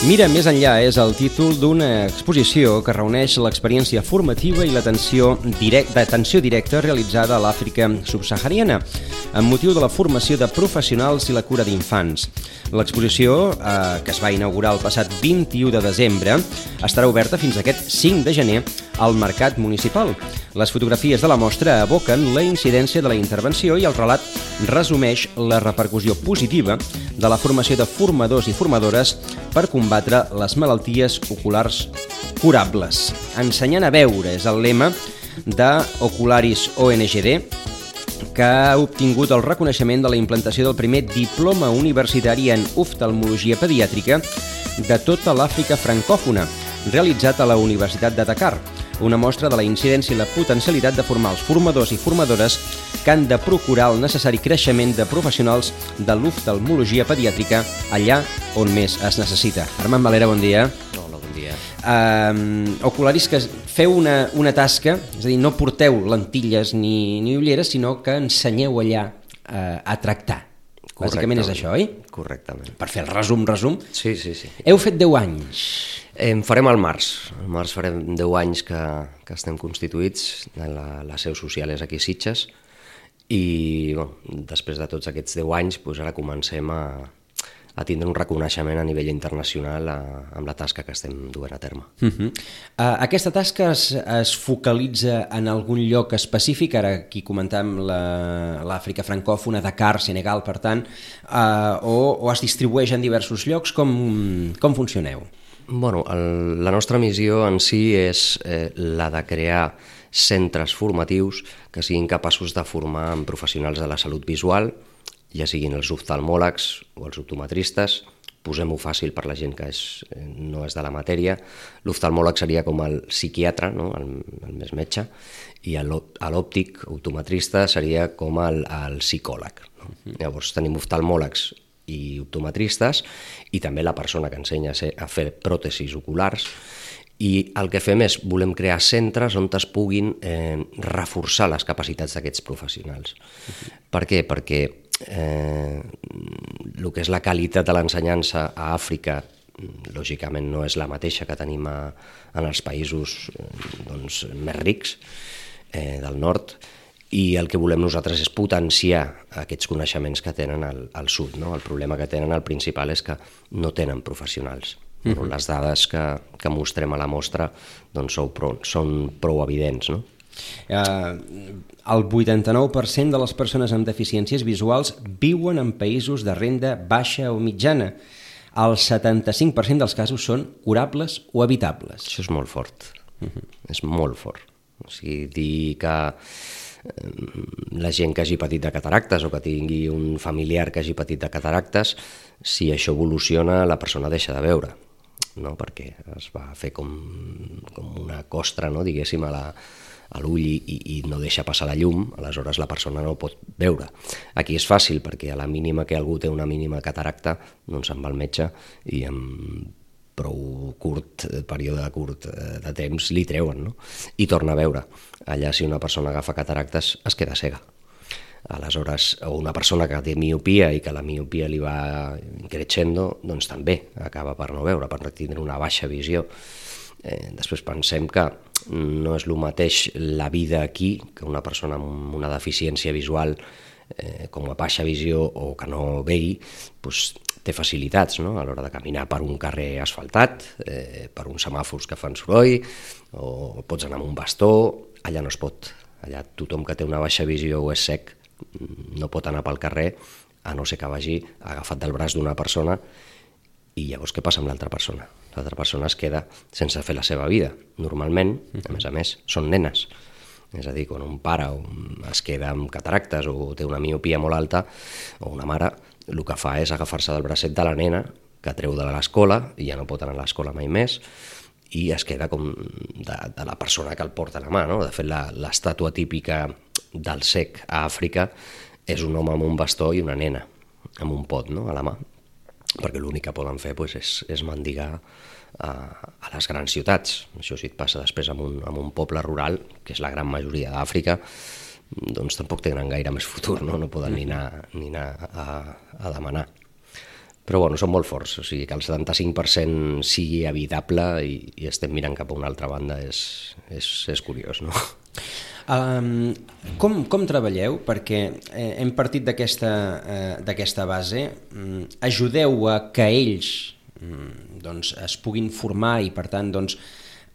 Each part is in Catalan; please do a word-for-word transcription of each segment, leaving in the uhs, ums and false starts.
Mira més enllà és el títol d'una exposició que reuneix l'experiència formativa i l'atenció direct, d'atenció directa realitzada a l'Àfrica subsahariana amb motiu de la formació de professionals i la cura d'infants. L'exposició, eh, que es va inaugurar el passat vint-i-u de desembre, estarà oberta fins aquest cinc de gener al Mercat Municipal. Les fotografies de la mostra evoquen la incidència de la intervenció i el relat resumeix la repercussió positiva de la formació de formadors i formadores per combatre les malalties oculars curables. Ensenyant a veure és el lema d'Ocularis O N G D, que ha obtingut el reconeixement de la implantació del primer diploma universitari en oftalmologia pediàtrica de tota l'Àfrica francòfona, realitzat a la Universitat de Dakar. Una mostra de la incidència i la potencialitat de formar els formadors i formadores que han de procurar el necessari creixement de professionals de l'oftalmologia pediàtrica allà on més es necessita. Armand Valera, bon dia. Hola, bon dia. Uh, Ocularis, que feu una, una tasca, és a dir, no porteu lentilles ni, ni ulleres, sinó que ensenyeu allà uh, a tractar. Bàsicament és això, oi? Correctament. Per fer el resum, resum. Sí, sí, sí. Heu fet deu anys. En farem al març. Al març farem deu anys que, que estem constituïts. La, la seu social és aquí a Sitges. I bueno, després de tots aquests deu anys, doncs ara comencem a, a tindre un reconeixement a nivell internacional a, amb la tasca que estem duent a terme. Uh -huh. uh, aquesta tasca es, es focalitza en algun lloc específic? Ara aquí comentàvem l'Àfrica la, francòfona, Dakar, Senegal, per tant, uh, o, o es distribueix en diversos llocs? Com, com funcioneu? Bueno, el, la nostra missió en si és eh, la de crear centres formatius que siguin capaços de formar en professionals de la salut visual, ja siguin els oftalmòlegs o els optometristes. Posem-ho fàcil per la gent que és, no és de la matèria. L'oftalmòleg seria com el psiquiatre, no? el, el més metge, i l'òptic, optometrista, seria com el, el psicòleg. No? Uh-huh. Llavors tenim oftalmòlegs i optometristes i també la persona que ensenya a, ser, a fer pròtesis oculars, i el que fem és volem crear centres on es puguin eh, reforçar les capacitats d'aquests professionals. Uh-huh. Per què? Perquè eh, el que és la qualitat de l'ensenyança a Àfrica lògicament no és la mateixa que tenim a, en els països eh, doncs, més rics eh, del nord, i el que volem nosaltres és potenciar aquests coneixements que tenen al, al sud. No? El problema que tenen, el principal, és que no tenen professionals. Uh-huh. No? Les dades que, que mostrem a la mostra doncs, són, prou, són prou evidents. No? Uh, el vuitanta-nou per cent de les persones amb deficiències visuals viuen en països de renda baixa o mitjana. El setanta-cinc per cent dels casos són curables o evitables. Això és molt fort. Uh-huh. És molt fort. O sigui, dir que la gent que hagi patit de cataractes o que tingui un familiar que hagi patit de cataractes, si això evoluciona, la persona deixa de veure, no? Perquè es va fer com, com una costra, no? Diguéssim, a la, a l'ull i, i no deixa passar la llum, aleshores la persona no pot veure. Aquí és fàcil, perquè a la mínima que algú té una mínima cataracta, doncs se'n va al metge i amb prou curt, període curt de temps, li treuen, no? I torna a veure. Allà, si una persona agafa cataractes, es queda cega. Aleshores, o una persona que té miopia i que la miopia li va creixendo, doncs també acaba per no veure, per tindre una baixa visió. Eh, després pensem que no és el mateix la vida aquí que una persona amb una deficiència visual eh, com a baixa visió o que no vegi, doncs, té facilitats, no? A l'hora de caminar per un carrer asfaltat, eh, per uns semàfors que fan soroll, o pots anar amb un bastó. Allà no es pot. Allà tothom que té una baixa visió o és cec no pot anar pel carrer, a no ser que vagi agafat del braç d'una persona, i llavors què passa amb l'altra persona? L'altra persona es queda sense fer la seva vida. Normalment, a més a més, són nenes. És a dir, quan un pare es queda amb cataractes o té una miopia molt alta, o una mare, el que fa és agafar-se del bracet de la nena, que treu de l'escola i ja no pot anar a l'escola mai més, i es queda com de, de la persona que el porta a la mà, no? De fet, l'estàtua típica del cec a Àfrica és un home amb un bastó i una nena amb un pot, no? A la mà, perquè l'únic que poden fer doncs, és, és mendigar a, a les grans ciutats. Això si et passa després en un, en un poble rural, que és la gran majoria d'Àfrica, doncs tampoc tenen gaire més futur, no? No poden ni anar, ni anar a, a demanar. Però bueno, són molt forts, o sigui que el setanta-cinc per cent sigui habitable i, i estem mirant cap a una altra banda és, és, és curiós, no? Um, com, com treballeu? Perquè eh, hem partit d'aquesta eh, d'aquesta base. Um, ajudeu a que ells um, doncs, es puguin formar i per tant doncs,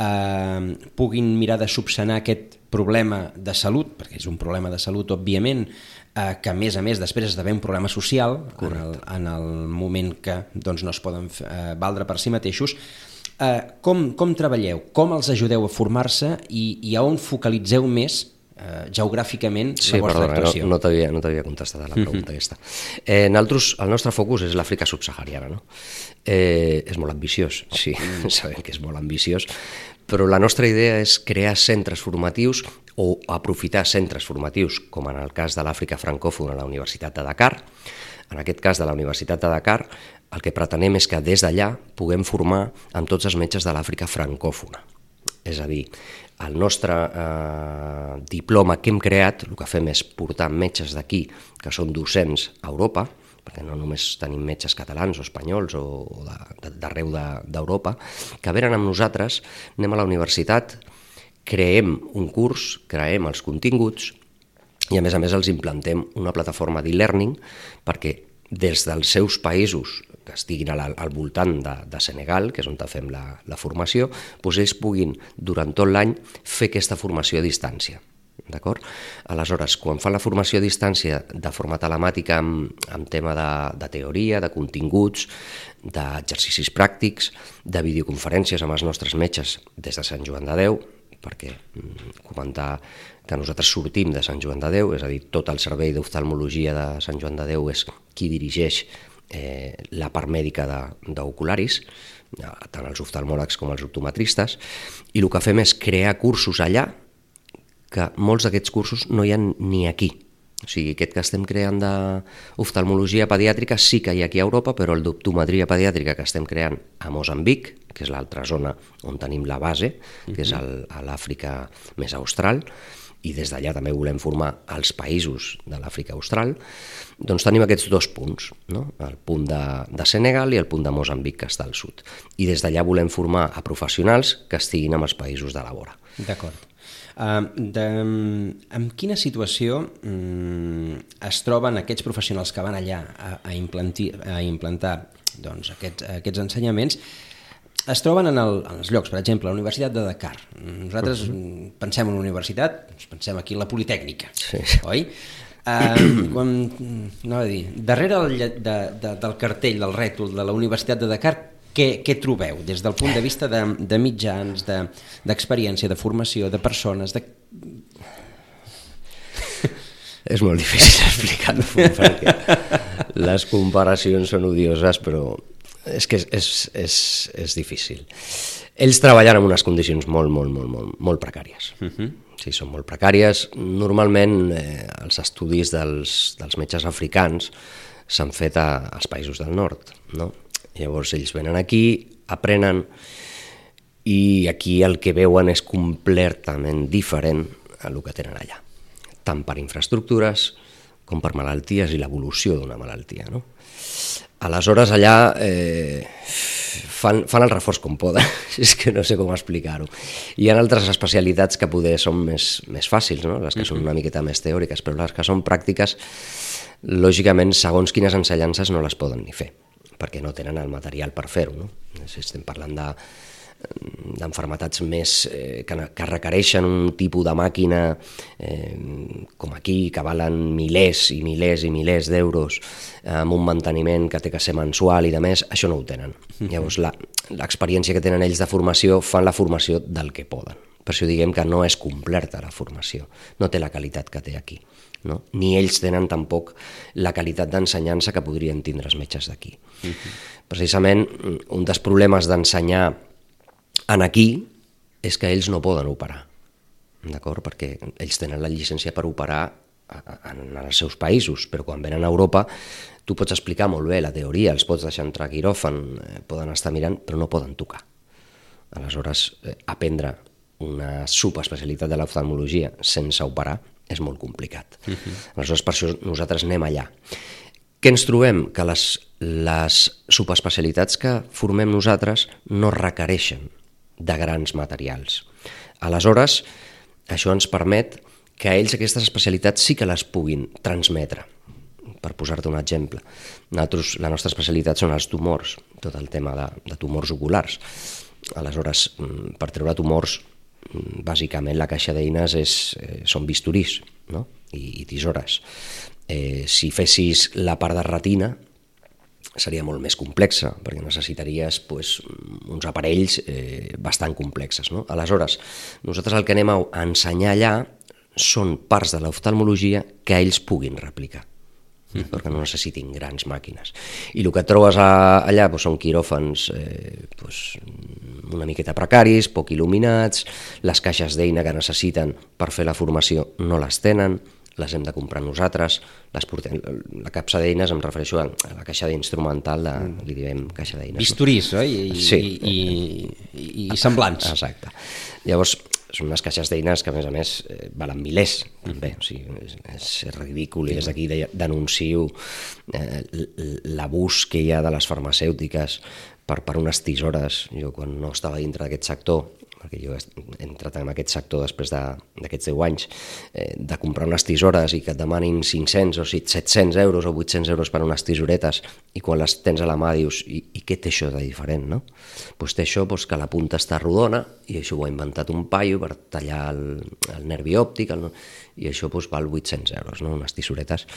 eh, puguin mirar de subsanar aquest problema de salut, perquè és un problema de salut, òbviament, eh, que a més a més després esdevé un problema social en el, en el moment que doncs, no es poden eh, valdre per si mateixos. Eh, com, com treballeu? Com els ajudeu a formar-se i, i a on focalitzeu més eh, geogràficament sí, la vostra perdona, actuació? No, no t'havia no t'havia contestat a la pregunta uh-huh. aquesta. Eh, nosaltres, el nostre focus és l'Àfrica subsahariana, no? Eh, és molt ambiciós, sí, uh-huh. sabem que és molt ambiciós, però la nostra idea és crear centres formatius o aprofitar centres formatius, com en el cas de l'Àfrica francòfona a la Universitat de Dakar. En aquest cas de la Universitat de Dakar, el que pretenem és que des d'allà puguem formar amb tots els metges de l'Àfrica francòfona. És a dir, el nostre eh, diploma que hem creat, el que fem és portar metges d'aquí, que són docents a Europa, perquè no només tenim metges catalans o espanyols o d'arreu d'Europa, que venen amb nosaltres, anem a la universitat, creem un curs, creem els continguts i a més a més els implantem una plataforma d'e-learning perquè des dels seus països que estiguin al, al voltant de, de Senegal, que és on fem la, la formació, doncs ells puguin durant tot l'any fer aquesta formació a distància. D'acord? Aleshores, quan fan la formació a distància de forma telemàtica amb, amb tema de, de teoria, de continguts, d'exercicis pràctics, de videoconferències amb els nostres metges des de Sant Joan de Déu, perquè comentar que nosaltres sortim de Sant Joan de Déu, és a dir, tot el servei d'oftalmologia de Sant Joan de Déu és qui dirigeix eh, la part mèdica d'ocularis, tant els oftalmòlegs com els optometristes, i el que fem és crear cursos allà que molts d'aquests cursos no hi ha ni aquí. O sigui, aquest que estem creant d'oftalmologia pediàtrica sí que hi ha aquí a Europa, però el d'optometria pediàtrica que estem creant a Moçambic, que és l'altra zona on tenim la base, que és el, a l'Àfrica més austral, i des d'allà també volem formar els països de l'Àfrica austral, doncs tenim aquests dos punts, no? El punt de, de Senegal i el punt de Moçambic, que està al sud. I des d'allà volem formar a professionals que estiguin amb els països de la vora. D'acord. Uh, de, en quina situació um, es troben aquests professionals que van allà a, a, implanti, a implantar doncs, aquests, aquests ensenyaments? Es troben en, el, en els llocs, per exemple, la Universitat de Dakar. Nosaltres uh-huh. pensem en una universitat, pensem aquí en la Politècnica, sí. oi? Uh, quan, no, dir, darrere el, de, de, del cartell, del rètol de la Universitat de Dakar, Què, què trobeu des del punt de vista de, de mitjans, d'experiència, de, de formació, de persones? De... És molt difícil explicar-ho perquè les comparacions són odioses, però és que és, és, és, és difícil. Ells treballen en unes condicions molt, molt, molt, molt, molt precàries. Uh-huh. Sí, són molt precàries. Normalment eh, els estudis dels, dels metges africans s'han fet a, als països del nord, no? Llavors ells venen aquí, aprenen i aquí el que veuen és completament diferent a el que tenen allà, tant per infraestructures com per malalties i l'evolució d'una malaltia, no? Aleshores allà eh, fan, fan el reforç com poden, és que no sé com explicar-ho. Hi ha altres especialitats que poder són més, més fàcils, no? Les que són una miqueta més teòriques, però les que són pràctiques, lògicament, segons quines ensenyances no les poden ni fer, perquè no tenen el material per fer-ho, no? Si estem parlant de d'enfermetats més eh, que, que requereixen un tipus de màquina eh, com aquí, que valen milers i milers i milers d'euros eh, amb un manteniment que té que ser mensual i de més, això no ho tenen. Mm-hmm. Llavors l'experiència que tenen ells de formació fan la formació del que poden. Per això diguem que no és completa la formació, no té la qualitat que té aquí, no? Ni ells tenen tampoc la qualitat d'ensenyança que podrien tindre els metges d'aquí. Mm-hmm. Precisament un dels problemes d'ensenyar en aquí és que ells no poden operar, d'acord? Perquè ells tenen la llicència per operar en els seus països, però quan venen a Europa tu pots explicar molt bé la teoria, els pots deixar entrar a quiròfan, poden estar mirant, però no poden tocar. Aleshores, aprendre una subespecialitat de l'oftalmologia sense operar és molt complicat. Uh-huh. Aleshores, per això nosaltres anem allà. Què ens trobem? Que les, les subespecialitats que formem nosaltres no requereixen de grans materials. Aleshores, això ens permet que ells aquestes especialitats sí que les puguin transmetre. Per posar-te un exemple, nosaltres, la nostra especialitat són els tumors, tot el tema de, de tumors oculars. Aleshores, per treure tumors, bàsicament la caixa d'eines és, eh, són bisturís, no? I, i tisores. Eh, si fessis la part de retina, seria molt més complexa, perquè necessitaries pues, uns aparells eh, bastant complexes. No? Aleshores, nosaltres el que anem a ensenyar allà són parts de l'oftalmologia que ells puguin replicar, mm-hmm. perquè no necessitin grans màquines. I el que et trobes a, allà pues, són quiròfans eh, pues, una miqueta precaris, poc il·luminats, les caixes d'eina que necessiten per fer la formació no les tenen, les hem de comprar nosaltres, les portem, la capsa d'eines em refereixo a la caixa d'instrumental, de, li diem caixa d'eines. Bisturís, no? I, sí. i, i, i, i semblants. Exacte. Llavors, són unes caixes d'eines que, a més a més, eh, valen milers, també. O sigui, és, és ridícul, i des d'aquí denuncio eh, l'abús que hi ha de les farmacèutiques per, per unes tisores. Jo, quan no estava dintre d'aquest sector, perquè jo he entrat en aquest sector després d'aquests deu anys, eh, de comprar unes tisores i que et demanin cinc-cents o set-cents euros o vuit-cents euros per unes tisoretes, i quan les tens a la mà dius, i, i què té això de diferent, no? Pues té això pues, que la punta està rodona, i això ho ha inventat un paio per tallar el, el nervi òptic, el, i això pues, val vuit-cents euros, no? Unes tisoretes.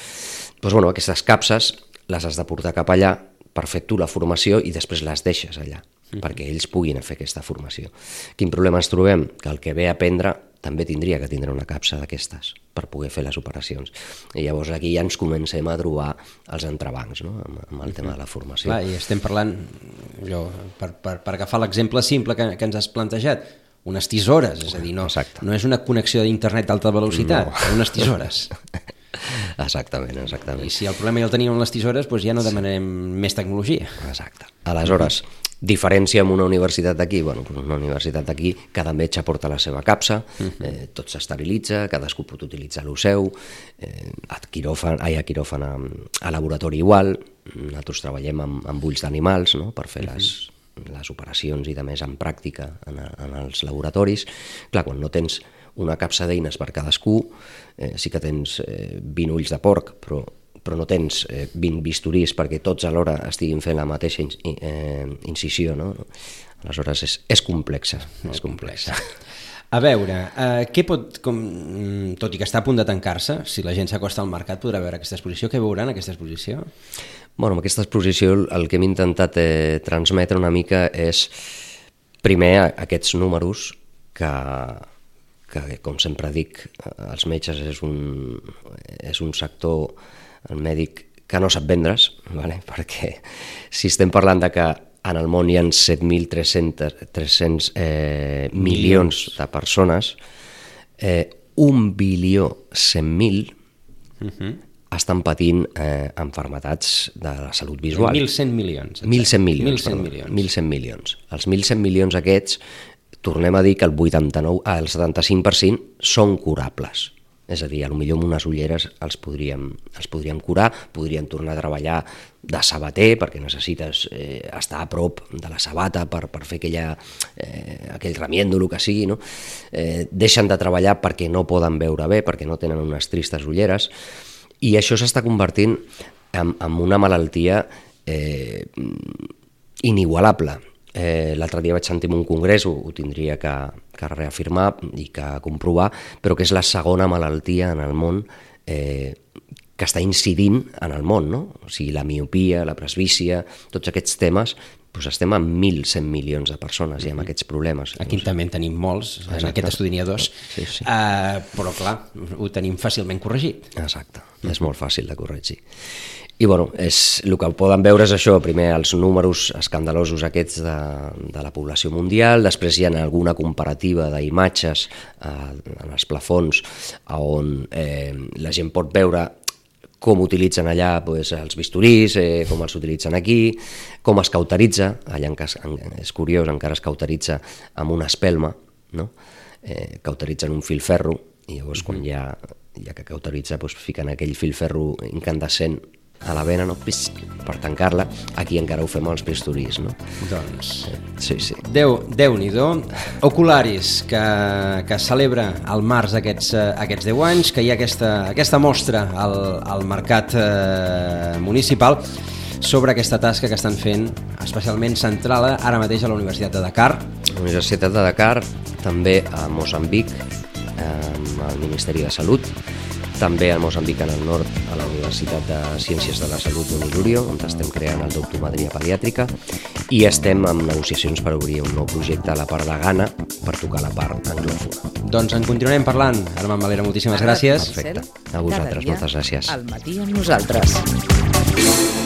Pues, bueno, aquestes capses les has de portar cap allà per fer tu la formació i després les deixes allà, mm-hmm. perquè ells puguin fer aquesta formació. Quin problema ens trobem? Que el que ve a aprendre també tindria que tindre una capsa d'aquestes per poder fer les operacions. I llavors aquí ja ens comencem a trobar els entrebancs, no? amb, amb el tema de la formació. Clar, i estem parlant, allò, per, per, per agafar l'exemple simple que, que ens has plantejat, unes tisores, és a dir, no, no és una connexió d'internet d'alta velocitat, no. Unes tisores. Exactament, exactament. I si el problema ja el teníem amb les tisores, doncs ja no demanarem més tecnologia. Exacte. Aleshores, diferència amb una universitat d'aquí, bueno, una universitat d'aquí, cada metge porta la seva capsa, eh, tot s'esterilitza, cadascú pot utilitzar el seu, eh, a quiròfan, ai, a quiròfan a, a laboratori igual, nosaltres treballem amb, amb ulls d'animals, no?, per fer les, les operacions i de més en pràctica en, en els laboratoris. Clar, quan no tens una capsa d'eines per cadascú, eh, sí que tens eh, vint ulls de porc, però, però no tens eh, vint bisturís perquè tots alhora estiguin fent la mateixa in, eh, incisió, no? Aleshores és, és complexa, és complexa. A veure, eh, què pot, com, tot i que està a punt de tancar-se, si la gent s'acosta al mercat podrà veure aquesta exposició, què veuran aquesta exposició? Bueno, amb aquesta exposició el que hem intentat eh, transmetre una mica és, primer, aquests números que... que, com sempre dic, els metges és un, és un sector, el mèdic, que no sap vendre's, vale? Perquè si estem parlant de que en el món hi ha set mil tres-cents eh, milions de persones, eh, un bilió cent mil uh-huh. estan patint eh, enfermetats de la salut visual. mil cent milions. mil cent milions. mil cent milions. mil cent milions. Els mil cent milions aquests, tornem a dir que el vuitanta-nou, ah, el setanta-cinc per cent són curables. És a dir, potser amb unes ulleres els podríem, els podríem curar, podríem tornar a treballar de sabater, perquè necessites eh, estar a prop de la sabata per, per fer aquella, eh, aquell remiendo, el que sigui, no? Eh, deixen de treballar perquè no poden veure bé, perquè no tenen unes tristes ulleres, i això s'està convertint en, en una malaltia eh, inigualable. Eh, l'altre dia vaig sentir en un congrés, ho, ho tindria que, que reafirmar i que comprovar, però que és la segona malaltia en el món eh, que està incidint en el món, no? O sigui, la miopia, la presbícia, tots aquests temes, doncs estem amb mil cent milions de persones i amb aquests problemes. Aquí també en tenim molts, en Exacte. Aquest estudi n'hi ha dos, sí, sí. Uh, però clar, ho tenim fàcilment corregit. Exacte, és molt fàcil de corregir. I bueno, és, el que poden veure és això, primer els números escandalosos aquests de, de la població mundial, després hi ha alguna comparativa d'imatges eh, en els plafons on eh, la gent pot veure com utilitzen allà pues, els bisturís, eh, com els utilitzen aquí, com es cauteritza, allà en cas, en, és curiós, encara es cauteritza amb una espelma, no? eh, cauteritzen un filferro, i llavors mm-hmm. quan ja, ja que cauteritza pues, fiquen aquell filferro incandescent a la vena, no? Pis, per tancar-la. Aquí encara ho fem als bisturís, no? Doncs... Sí, sí. Déu, Déu-n'hi-do. Ocularis, que, que celebra al març aquests, aquests deu anys, que hi ha aquesta, aquesta mostra al, al mercat eh, municipal sobre aquesta tasca que estan fent, especialment centrada ara mateix a la Universitat de Dakar. La Universitat de Dakar, també a Moçambic, amb el Ministeri de Salut, també a Moçambic en el nord, a la Universitat de Ciències de la Salut d'Onilurio, on estem creant el d'optometria pediàtrica, i estem en negociacions per obrir un nou projecte a la part de Ghana per tocar la part anglòfona. Doncs en continuarem parlant. Armand Valera, moltíssimes gràcies. Perfecte. A vosaltres, moltes gràcies. Al matí amb nosaltres.